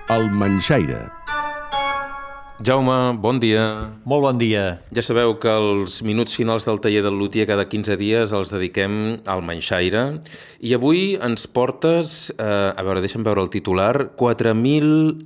El Manxaire. Jaume, bon dia. Molt bon dia. Ja sabeu que els minuts finals del taller del luthier cada 15 dies els dediquem al Manxaire. I avui ens portes, deixa'm veure el titular, $4.000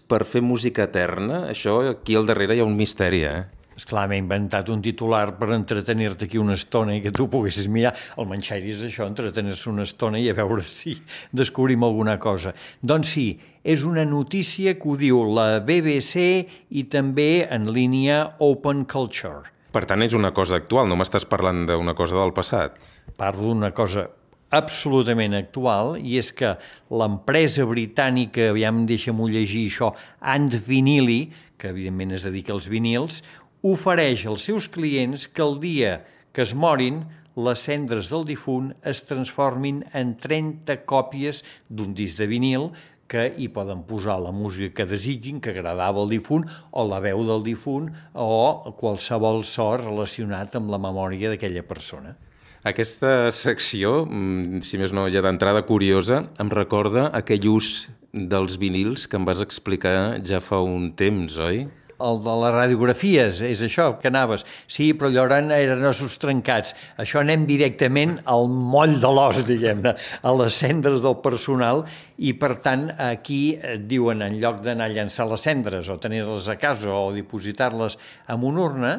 per fer música eterna. Això, aquí al darrere hi ha un misteri, Esclar, m'he inventat un titular per entretenir-te aquí una estona i que tu poguessis mirar. El Manxaire és això, entretenir-se una estona i a veure si descobrim alguna cosa. Doncs sí, és una notícia que ho diu la BBC i també en línia Open Culture. Per tant, és una cosa actual, no m'estàs parlant d'una cosa del passat. Parlo d'una cosa absolutament actual, i és que l'empresa britànica, aviam, deixa'm-ho llegir això, And Vinili, que evidentment es dedica als vinils, ofereix als seus clients que el dia que es morin, les cendres del difunt es transformin en 30 còpies d'un disc de vinil que hi poden posar la música que desitgin, que agradava al difunt, o la veu del difunt, o qualsevol so relacionat amb la memòria d'aquella persona. Aquesta secció, si més no ja d'entrada curiosa, em recorda aquell ús dels vinils que em vas explicar ja fa un temps, oi? El de les radiografies, és això que anaves. Sí, però allò eren ossos trencats. Això anem directament al moll de l'os, diguem-ne, a les cendres del personal, i per tant aquí et diuen, en lloc d'anar a llançar les cendres o tenir-les a casa o dipositar-les en una urna,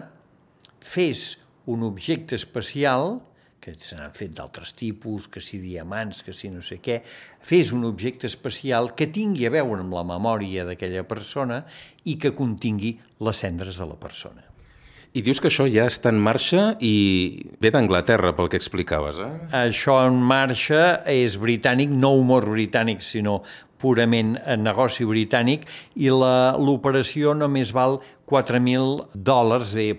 fes un objecte especial, que se n'han fet d'altres tipus, que si diamants, que si no sé què, fes un objecte especial que tingui a veure amb la memòria d'aquella persona i que contingui les cendres de la persona. I dius que això ja està en marxa i ve d'Anglaterra, pel que explicaves, Això en marxa és britànic, no humor britànic, sinó purament negoci britànic, i l'operació només val $4.000,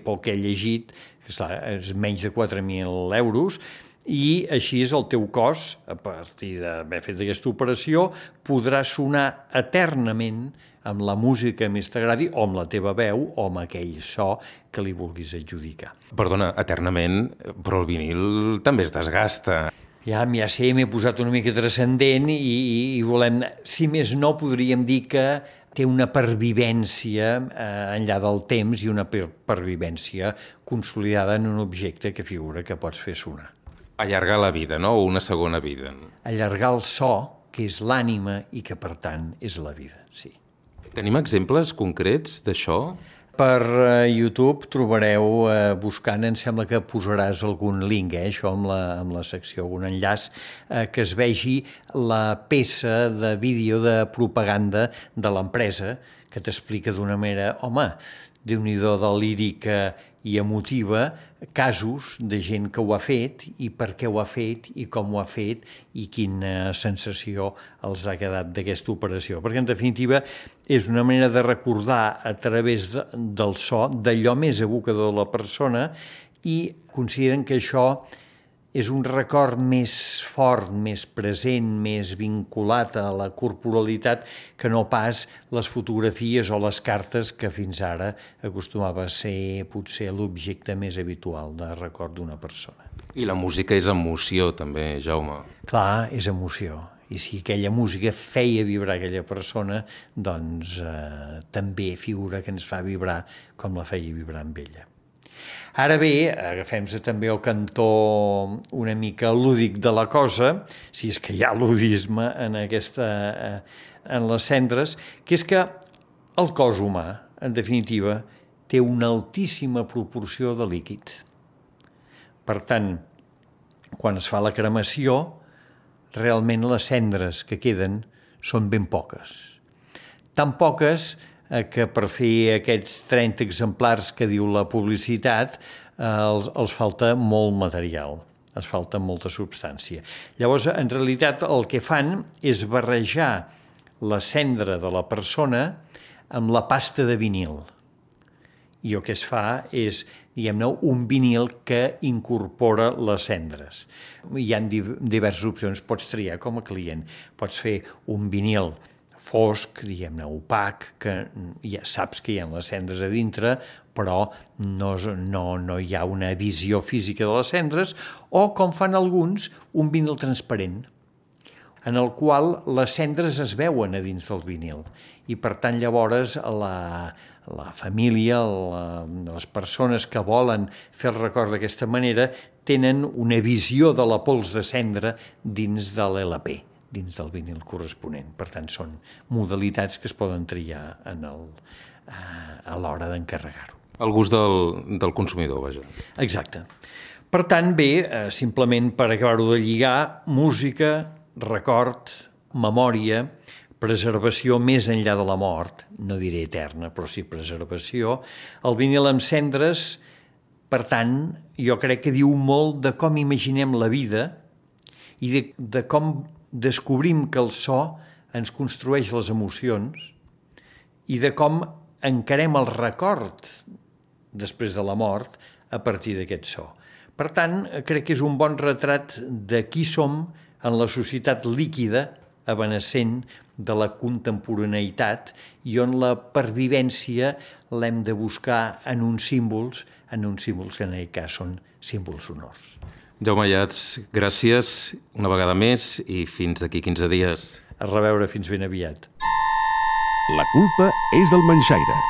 pel que he llegit, que és menys de 4.000 euros, i així és el teu cos, a partir d'haver fet aquesta operació, podrà sonar eternament amb la música que més t'agradi, o amb la teva veu, o amb aquell so que li vulguis adjudicar. Perdona, eternament, però el vinil també es desgasta. Ja sé, m'he posat una mica transcendent i volem... Si més no, podríem dir que té una pervivència enllà del temps i una pervivència consolidada en un objecte que figura que pots fer sonar. Allargar la vida, no? O una segona vida. Allargar el so, que és l'ànima i que, per tant, és la vida, sí. Tenim exemples concrets d'això? Per YouTube trobareu, buscant, em sembla que posaràs algun link, això amb la secció, algun enllaç, que es vegi la peça de vídeo de propaganda de l'empresa, que t'explica d'una manera, home, déu-n'hi-do de lírica i emotiva, casos de gent que ho ha fet i per què ho ha fet i com ho ha fet i quina sensació els ha quedat d'aquesta operació. Perquè, en definitiva, és una manera de recordar a través del so d'allò més evocador de la persona, i consideren que això és un record més fort, més present, més vinculat a la corporalitat que no pas les fotografies o les cartes que fins ara acostumava a ser potser l'objecte més habitual de record d'una persona. I la música és emoció, també, Jaume. Clar, és emoció. I si aquella música feia vibrar aquella persona, doncs també figura que ens fa vibrar com la feia vibrar amb ella. Ara bé, agafem-se també el cantó una mica lúdic de la cosa, si és que hi ha ludisme en les cendres, que és que el cos humà, en definitiva, té una altíssima proporció de líquid. Per tant, quan es fa la cremació, realment les cendres que queden són ben poques. Tan poques que per fer aquests 30 exemplars que diu la publicitat els falta molt material, els falta molta substància. Llavors, en realitat, el que fan és barrejar la cendra de la persona amb la pasta de vinil. I el que es fa és, diguem-ne, un vinil que incorpora les cendres. Hi ha diverses opcions, pots triar com a client. Pots fer un vinil fosc, diguem-ne, opac, que ja saps que hi ha les cendres a dintre, però no hi ha una visió física de les cendres, o, com fan alguns, un vinil transparent. en el qual les cendres es veuen a dins del vinil. I per tant llavors la família, les persones que volen fer el record d'aquesta manera tenen una visió de la pols de cendra dins de l'LP, dins del vinil corresponent. Per tant, són modalitats que es poden triar a l'hora d'encarregar-ho. El gust del consumidor, vaja. Exacte. Per tant, bé, simplement per acabar-ho de lligar, música, record, memòria, preservació més enllà de la mort, no diré eterna, però sí preservació. El vinil amb cendres, per tant, jo crec que diu molt de com imaginem la vida i de com descobrim que el so ens construeix les emocions i de com encarem el record després de la mort a partir d'aquest so. Per tant, crec que és un bon retrat de qui som en la societat líquida, evanescent de la contemporaneïtat i on la pervivència l'hem de buscar en uns símbols que en aquest cas són símbols sonors. Jaume Ayats, gràcies una vegada més i fins d'aquí 15 dies. A reveure fins ben aviat. La culpa és del manxaire.